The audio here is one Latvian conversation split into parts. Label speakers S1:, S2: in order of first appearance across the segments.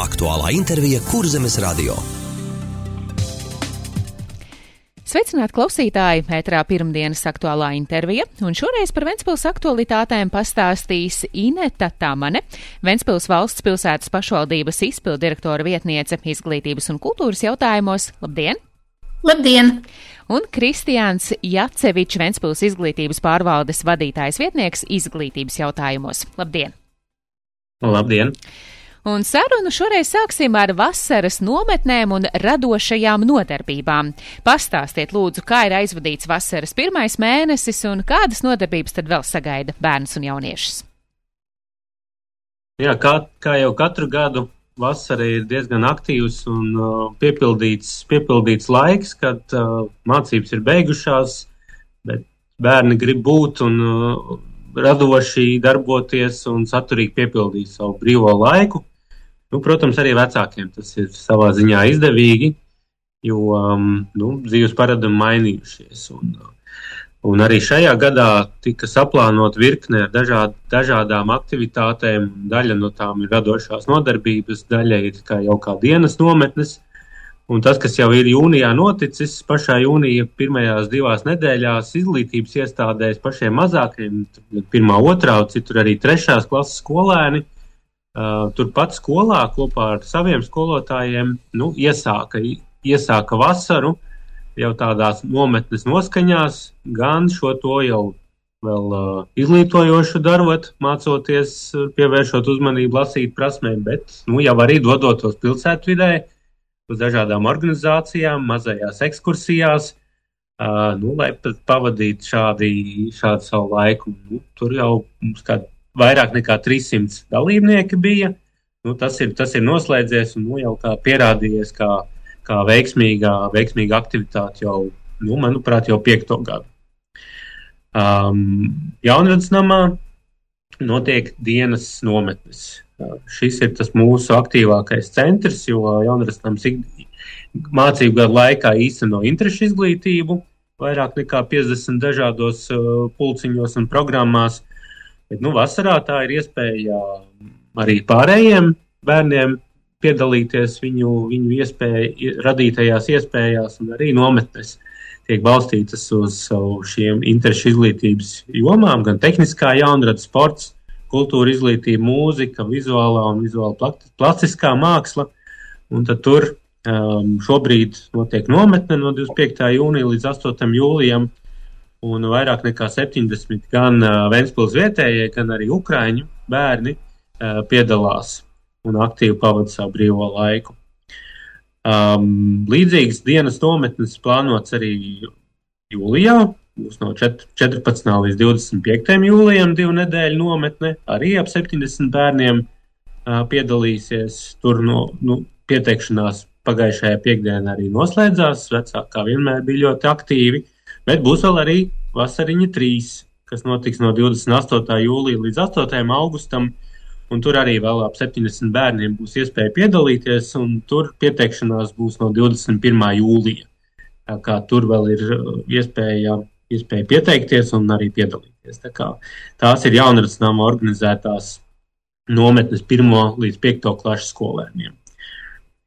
S1: Aktuālā intervija Kurzemes radio.
S2: Sveicināti klausītāji, ēterā pirmdienas aktuālā intervija, un šoreiz par Ventspils aktualitātēm pastāstīs Ineta Tamane, Ventspils valsts pilsētas pašvaldības izpildirektora vietniece izglītības un kultūras jautājumos. Labdien!
S3: Labdien!
S2: Un Kristiāns Jacevičs, Ventspils izglītības pārvaldes vadītājs vietnieks izglītības jautājumos. Labdien!
S4: Labdien!
S2: Un sarunu šoreiz sāksim ar vasaras nometnēm un radošajām nodarbībām. Pastāstiet lūdzu, kā ir aizvadīts vasaras pirmais mēnesis un kādas nodarbības tad vēl sagaida bērnus un jauniešus?
S4: Jā, kā jau katru gadu, vasara ir diezgan aktīvs un piepildīts laiks, kad mācības ir beigušās, bet bērni grib būt un radoši darboties un saturīgi piepildīt savu brīvo laiku. Protams, arī vecākiem tas ir savā ziņā izdevīgi, jo dzīves paradumi mainījušies. Un arī šajā gadā tika saplānot virkne ar dažādām aktivitātēm. Daļa no tām ir radošās nodarbības, daļa ir jau kā dienas nometnes. Un tas, kas jau ir jūnijā noticis, pašā jūnija pirmajās 2 nedēļās izglītības iestādēs pašiem mazākiem, 1., 2, citur arī 3. klases skolēni, turpat skolā kopā ar saviem skolotājiem iesāka vasaru jau tādās nometnes noskaņās, gan šo to jau vēl izglītojošu darot, mācoties, pievēršot uzmanību lasīt prasmēm, bet jau arī dodotos pilsētvidē uz dažādām organizācijām, mazajās ekskursijās, lai pavadītu šādu savu laiku. Tur jau mums vairāk nekā 300 dalībnieki bija. Tas ir noslēdzies un jau kā pierādījies kā veiksmīga aktivitāte jau, manuprāt, jau 5. gadu. Jaunradas namā notiek dienas nometnes. Šis ir tas mūsu aktīvākais centrs, jo Jaunradas nams mācību gadu laikā īsteno interešu izglītību, vairāk nekā 50 dažādos pulciņos un programmās. Bet, vasarā tā ir iespēja arī pārējiem bērniem piedalīties viņu radītajās iespējās, un arī nometnes tiek balstītas uz šiem interešu izglītības jomām, gan tehniskā jaunrada, sports, kultūra izglītība, mūzika, vizuālā un vizuāla plastiskā māksla. Un tad tur šobrīd notiek nometne no 25. jūnija līdz 8. jūlijam, un vairāk nekā 70 gan Ventspils vietējie, gan arī ukraiņu bērni piedalās un aktīvi pavada savu brīvo laiku. Līdzīgas dienas nometnes plānots arī jūlijā, būs no 14. līdz 25. jūlijam 2 nedēļu nometne, arī ap 70 bērniem piedalīsies. Tur pieteikšanās pagājušajā piekdienā arī noslēdzās, vecāki kā vienmēr bija ļoti aktīvi. Bet būs vēl arī vasariņa 3, kas notiks no 28. jūlija līdz 8. augustam, un tur arī vēl ap 70 bērniem būs iespēja piedalīties, un tur pieteikšanās būs no 21. jūlija. Tā kā tur vēl ir iespēja pieteikties un arī piedalīties. Tā kā tās ir Jaunradas nama organizētās nometnes 1. līdz 5. klases skolēniem.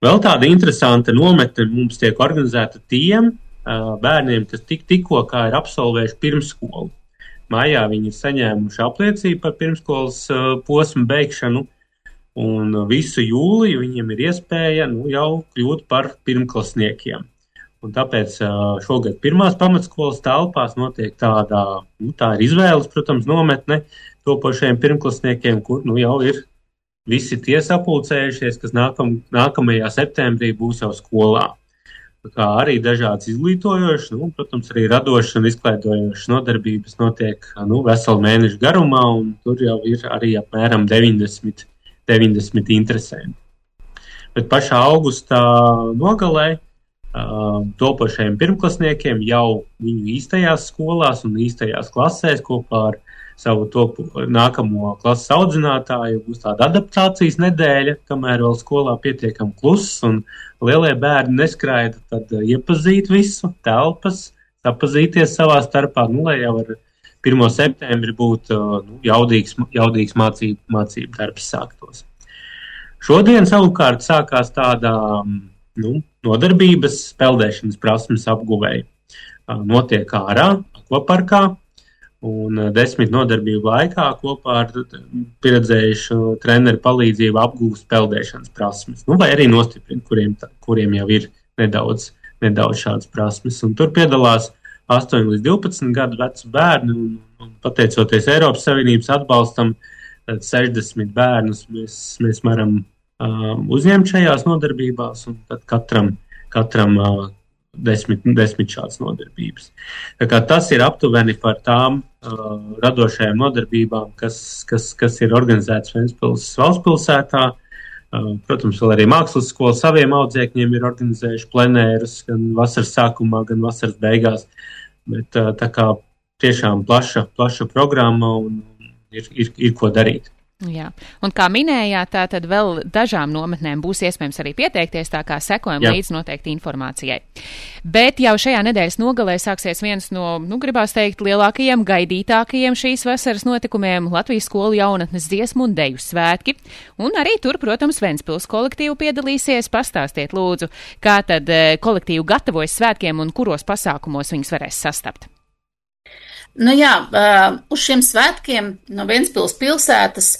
S4: Vēl tāda interesanta nometne mums tiek organizēta tiem bērniem, kas tikko ir absolvējuši pirmsskolu. Maijā viņi ir saņēmuši apliecību par pirmskolas posmu beigšanu, un visu jūliju viņiem ir iespēja jau kļūt par pirmklasniekiem. Un tāpēc šogad 1. pamatskolas telpās notiek tā ir izvēles, protams, nometne topošajiem pirmklasniekiem, kur jau ir visi tie sapulcējušies, kas nākamajā septembrī būs jau skolā. Kā arī dažādas izglītojošas, protams, arī radošas un izklaidojošas nodarbības notiek veselu mēnešu garumā, un tur jau ir arī apmēram 90 interesanti. Bet pašā augustā nogalē topošajiem pirmklasniekiem jau viņu īstajās skolās un īstajās klasēs kopā ar savu nākamo klases audzinātāju būs tāda adaptācijas nedēļa, kamēr vēl skolā pietiekam kluss un lielie bērni neskraida, tad iepazīt visu, telpas, sapazīties savā starpā, lai jau ar 1. septembri būtu jaudīgs mācību darbs sāktos. Šodien savukārt sākās tāda nodarbības peldēšanas prasmes apguvēja. Notiek ārā, akvaparkā, un 10 nodarbību laikā kopā ar pieredzējušu treneru palīdzību apgūst peldēšanas prasmes. Vai arī nostiprina, kuriem jau ir nedaudz šādas prasmes. Un tur piedalās 8 līdz 12 gadu veci bērni, un pateicoties Eiropas Savienības atbalstam, 60 bērnus mēs varam uzņemt šajās nodarbībās, un tad katram 10 šādas nodarbības. Tā kā tas ir aptuveni par tām radošajām nodarbībām, kas ir organizētas Ventspils valsts pilsētā. Protams, vēl arī mākslas skola saviem audzēkņiem ir organizējuši plenērus gan vasaras sākumā, gan vasaras beigās. Bet tā kā tiešām plaša programma un ir ko darīt.
S2: Jā, un kā minējāt, tā tad vēl dažām nometnēm būs iespējams arī pieteikties, tā kā sekojam līdz noteikti informācijai. Bet jau šajā nedēļas nogalē sāksies viens no, gribās teikt, lielākajiem, gaidītākajiem šīs vasaras notikumiem - Latvijas skolu jaunatnes dziesmu un deju svētki. Un arī tur, protams, Ventspils kolektīvu piedalīsies. Pastāstiet, lūdzu, kā tad kolektīvu gatavojas svētkiem un kuros pasākumos viņus varēs sastapt.
S3: Uz šiem svētkiem no Ventspils pilsētas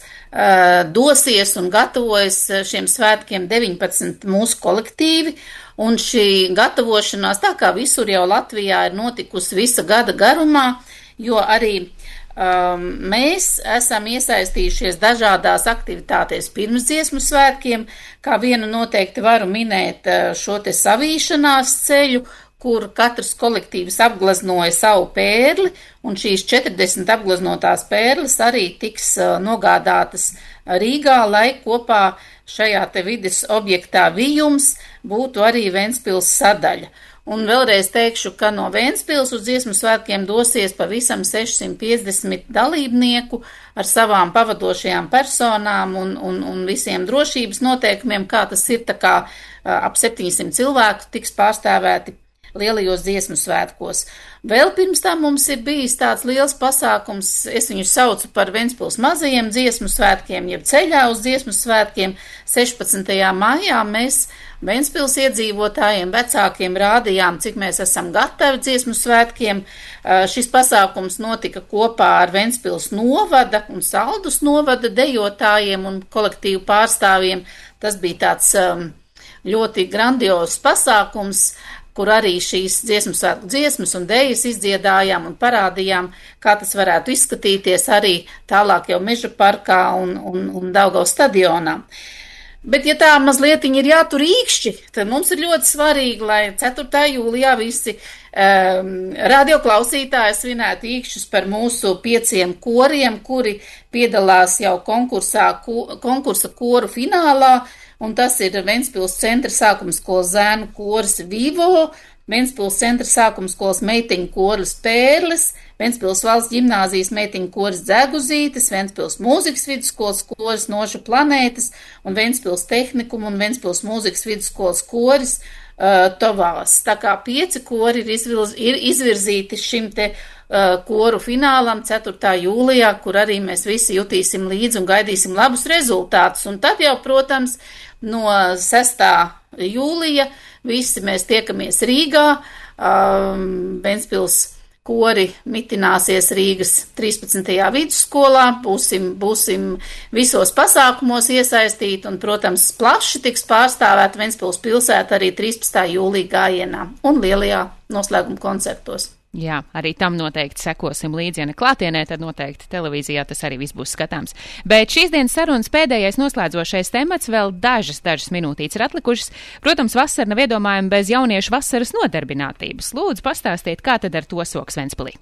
S3: dosies un gatavojas šiem svētkiem 19 mūsu kolektīvi, un šī gatavošanās, tā kā visur jau Latvijā, ir notikusi visa gada garumā, jo arī mēs esam iesaistījušies dažādās aktivitātēs pirms dziesmu svētkiem, kā vienu noteikti varu minēt šo te savīšanās ceļu, kur katrs kolektīvs apgleznoja savu pērli, un šīs 40 apgleznotās pērles arī tiks nogādātas Rīgā, lai kopā šajā te vides objektā Vijums būtu arī Ventspils sadaļa. Un vēlreiz teikšu, ka no Ventspils uz dziesmu svētkiem dosies pavisam 650 dalībnieku ar savām pavadošajām personām un visiem drošības noteikumiem, kā tas ir, tā kā ap 700 cilvēku tiks pārstāvēti lielajos dziesmu svētkos. Vēl pirms tam mums ir bijis tāds liels pasākums, es viņu saucu par Ventspils mazajiem dziesmu svētkiem, jeb ceļā uz dziesmu svētkiem. 16. maijā mēs Ventspils iedzīvotājiem, vecākiem rādījām, cik mēs esam gatavi dziesmu svētkiem. Šis pasākums notika kopā ar Ventspils novada un Saldus novada dejotājiem un kolektīvu pārstāvjiem. Tas bija tāds ļoti grandios pasākums, kur arī šīs dziesmu svētku dziesmas un dejas izdziedājām un parādījām, kā tas varētu izskatīties arī tālāk jau Meža parkā un Daugavas stadionā. Bet, ja tā mazliet ir jātur īkšķi, tad mums ir ļoti svarīgi, lai 4. jūlijā visi radioklausītāji svinētu īkšķus par mūsu 5 koriem, kuri piedalās jau konkursa koru finālā. Un tas ir Ventspils centra sākuma skolas zēnu koris Vivo, Ventspils centra sākuma skolas meiteņu koris Pērles, Ventspils valsts ģimnāzijas meiteņu koris Dzeguzītes, Ventspils mūzikas vidusskolas koris Noša planētas un Ventspils tehnikuma un Ventspils mūzikas vidusskolas koris Tovās. Tā kā 5 kori ir izvirzīti šim te koru finālam 4. jūlijā, kur arī mēs visi jutīsim līdzi un gaidīsim labus rezultātus. Un tad jau, protams, no 6. jūlija visi mēs tiekamies Rīgā. Ventspils kori mitināsies Rīgas 13. vidusskolā, būsim visos pasākumos iesaistīti un, protams, plaši tiks pārstāvēta Ventspils pilsēta arī 13. jūlija gājienā un lielajā noslēguma koncertos.
S2: Jā, arī tam noteikti sekosim līdzi, ja ne klātienē, tad noteikti televīzijā tas arī viss būs skatāms. Bet šīs dienas sarunas pēdējais noslēdzošais temats, vēl dažas minūtītes ir atlikušas. Protams, vasara nav iedomājama bez jauniešu vasaras nodarbinātības. Lūdzu, pastāstiet, kā tad ar to soks Ventspilī?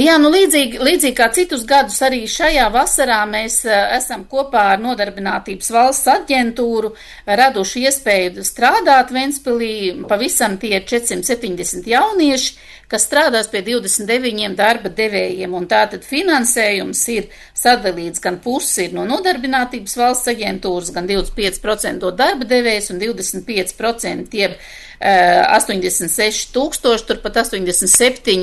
S3: Jā, līdzīgi kā citus gadus arī šajā vasarā mēs esam kopā ar Nodarbinātības valsts aģentūru raduši iespēju strādāt Ventspilī. Pavisam tie 470 jaunieši, kas strādās pie 29 darba devējiem, un tātad finansējums ir sadalīts gan pusi ir no nodarbinātības valsts aģentūras, gan 25% dod darba devējs un 25% jeb 86 000, turpat 87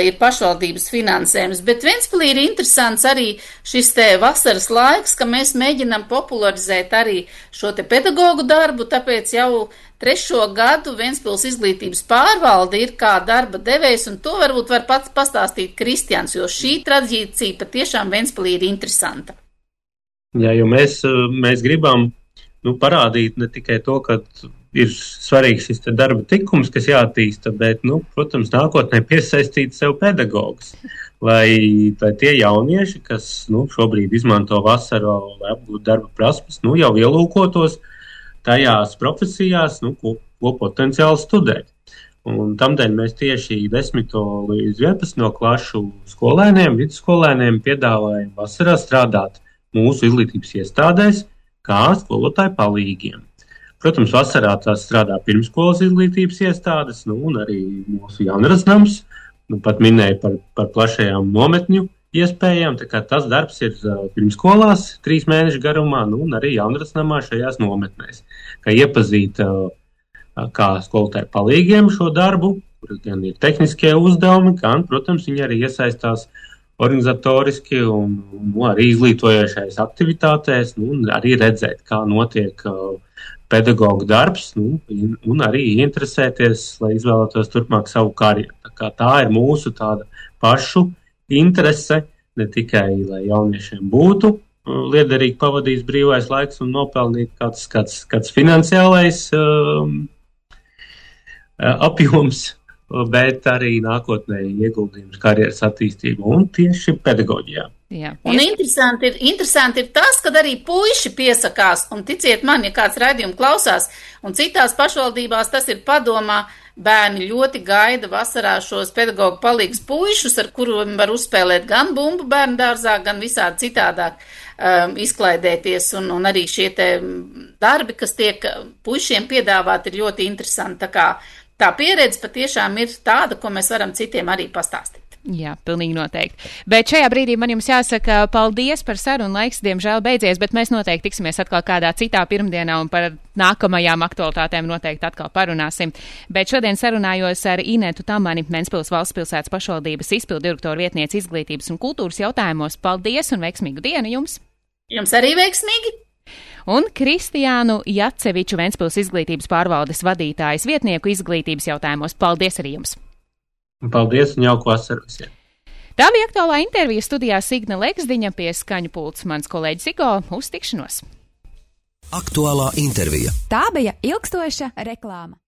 S3: ir pašvaldības finansējums. Bet Ventspilī ir interesants arī šis te vasaras laiks, ka mēs mēģinam popularizēt arī šo te pedagogu darbu, tāpēc jau 3. gadu Ventspils izglītības pārvalde ir kā darba devējs, un to varbūt var pats pastāstīt Kristians, jo šī tradīcija patiešām Ventspilī ir interesanta.
S4: Jā, jo mēs gribam parādīt ne tikai to, ka ir svarīgs šis darba tikums, kas jāattīsta, bet, protams, nākotnē piesaistīt sev pedagogus. Lai tie jaunieši, kas šobrīd izmanto vasaru, lai apgūtu darba prasmes, jau ielūkotos tajās profesijās, ko potenciāli studēt. Un tamdēļ mēs tieši 10. līdz 11. klašu skolēniem, vidusskolēniem piedāvājam vasarā strādāt mūsu izglītības iestādēs kā skolotāju palīgiem. Protams, vasarā tās strādā pirmskolas izglītības iestādes, un arī mūsu Jaunradas nams, pat minēja par plašajām nometņu iespējām, tā kā tas darbs ir pirmskolās 3 mēnešu garumā, un arī Jaunradas namā šajās nometnēs. Kā iepazīt kā skolotāju palīgiem šo darbu, kur gan ir tehniskie uzdevumi, gan, protams, viņi arī iesaistās organizatoriski un arī izglītojošais aktivitātēs, un arī redzēt, kā notiek pedagogu darbs, un arī interesēties, lai izvēlētos turpmāk savu karjeru. Tā ir mūsu tāda pašu interese, ne tikai, lai jauniešiem būtu liederīgi pavadījis brīvais laiks un nopelnīt kāds finansiālais apjoms, bet arī nākotnē ieguldījums karjeras attīstību un tieši pedagoģijā.
S3: Jā. Un interesanti ir tas, kad arī puiši piesakās, un ticiet man, ja kāds raidījumu klausās, un citās pašvaldībās tas ir padomā, bērni ļoti gaida vasarā šos pedagogu palīgus puišus, ar kuriem var uzspēlēt gan bumbu bērnu dārzā, gan visādi citādāk izklaidēties, un arī šie te darbi, kas tiek puišiem piedāvāt, ir ļoti interesanti. Tā pieredze patiešām ir tāda, ko mēs varam citiem arī pastāstīt.
S2: Jā, pilnīgi noteikti. Bet šajā brīdī man jums jāsaka paldies par sarunu, laiks diemžēl beidzies, bet mēs noteikti tiksimies atkal kādā citā pirmdienā un par nākamajām aktualitātēm noteikti atkal parunāsim. Bet šodien sarunājos ar Inetu Tamani, Ventspils valsts pilsētas pašvaldības izpildu direktoru vietnieci izglītības un kultūras jautājumos. Paldies un veiksmīgu dienu jums!
S3: Jums arī veiksmīgi!
S2: Un Kristiānu Jaceviču, Ventspils izglītības pārvaldes vadītājas vietnieku izglītības jautājumos. Paldies arī jums!
S4: Paldies un jauku vasaru visiem!
S2: Tā bija aktuālā intervija, studijā Signe Leksdiņa, pie skaņu pults mans kolēģis Igo. Uz tikšanos!
S1: Aktuālā intervija.
S5: Tā bija ilgstoša reklāma.